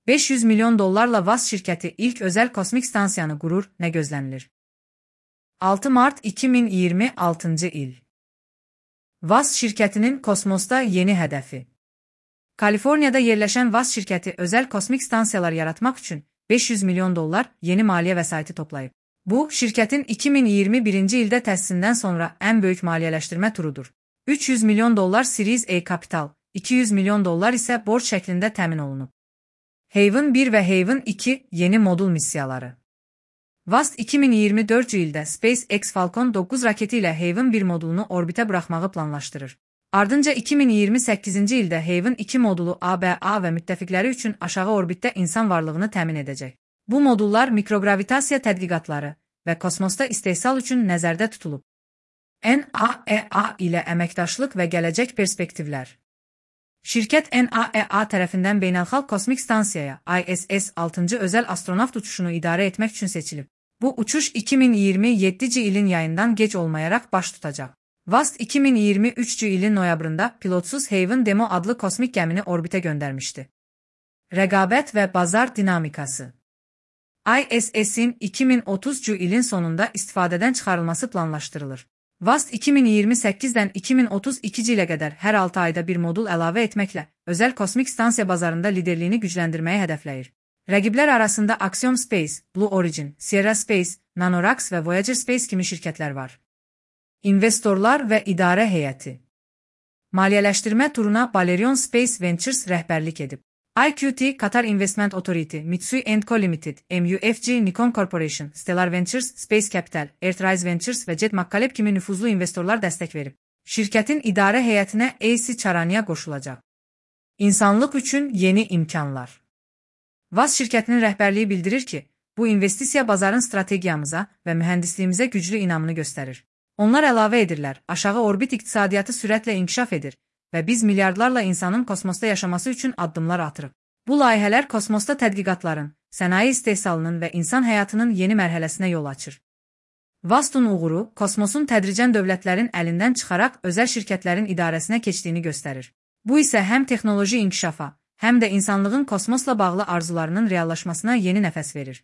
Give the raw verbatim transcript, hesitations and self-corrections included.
beş yüz milyon dollarla V A S şirkəti ilk özəl kosmik stansiyanı qurur, nə gözlənilir? altı mart iki min iyirmi altıncı il. V A S şirkətinin kosmosda yeni hədəfi. Kaliforniyada yerləşən V A S şirkəti özəl kosmik stansiyalar yaratmaq üçün beş yüz milyon dollar yeni maliyyə vəsaiti toplayıb. Bu, şirkətin iki min iyirmi birinci ildə təsisindən sonra ən böyük maliyyələşdirmə turudur. üç yüz milyon dollar Series A kapital, iki yüz milyon dollar isə borc şəklində təmin olunub. Haven bir və Haven iki yeni modul missiyaları. V A S iki min iyirmi dördüncü ildə SpaceX Falcon doqquz raketi ilə Haven bir modulunu orbitə buraxmağı planlaşdırır. Ardınca iki min iyirmi səkkizinci ildə Haven iki modulu A B A və müttəfiqləri üçün aşağı orbitdə insan varlığını təmin edəcək. Bu modullar mikrogravitasiya tədqiqatları və kosmosda istehsal üçün nəzərdə tutulub. N A E A ilə əməkdaşlıq və gələcək perspektivlər. Şirkət N A E A tərəfindən Beynəlxalq Kosmik Stansiyaya I S S altıncı özəl astronavt uçuşunu idarə etmək üçün seçilib. Bu uçuş iki min iyirmi yeddinci ilin yayından gec olmayaraq baş tutacaq. V A S iki min iyirmi üçüncü ilin noyabrında pilotsuz Haven Demo adlı kosmik gəmini orbitə göndərmişdi. Rəqabət və bazar dinamikası. I S S'in iki min otuzuncu ilin sonunda istifadədən çıxarılması planlaşdırılır. V A S iki min iyirmi səkkizdən iki min otuz ikinci ilə qədər hər altı ayda bir modul əlavə etməklə özəl kosmik stansiya bazarında liderliyini gücləndirməyi hədəfləyir. Rəqiblər arasında Axiom Space, Blue Origin, Sierra Space, Nanoracks və Voyager Space kimi şirkətlər var. İnvestorlar və idarə heyəti. Maliyyələşdirmə turuna Balerion Space Ventures rəhbərlik edib. I Q T, Qatar Investment Authority, Mitsui and Co Limited, M U F G, Nikon Corporation, Stellar Ventures, Space Capital, Earthrise Ventures və Jet McCaleb kimi nüfuzlu investorlar dəstək verib. Şirkətin idarə heyətinə A C Charania qoşulacaq. İnsanlıq üçün yeni imkanlar. V A S şirkətinin rəhbərliyi bildirir ki, bu investisiya bazarın strategiyamıza və mühəndisliyimizə güclü inamını göstərir. Onlar əlavə edirlər, aşağı orbit iqtisadiyyatı sürətlə inkişaf edir və biz milyardlarla insanın kosmosda yaşaması üçün addımlar atırıq. Bu layihələr kosmosda tədqiqatların, sənaye istehsalının və insan həyatının yeni mərhələsinə yol açır. V A S-ın uğuru, kosmosun tədricən dövlətlərin əlindən çıxaraq özəl şirkətlərin idarəsinə keçdiyini göstərir. Bu isə həm texnoloji inkişafa, həm də insanlığın kosmosla bağlı arzularının reallaşmasına yeni nəfəs verir.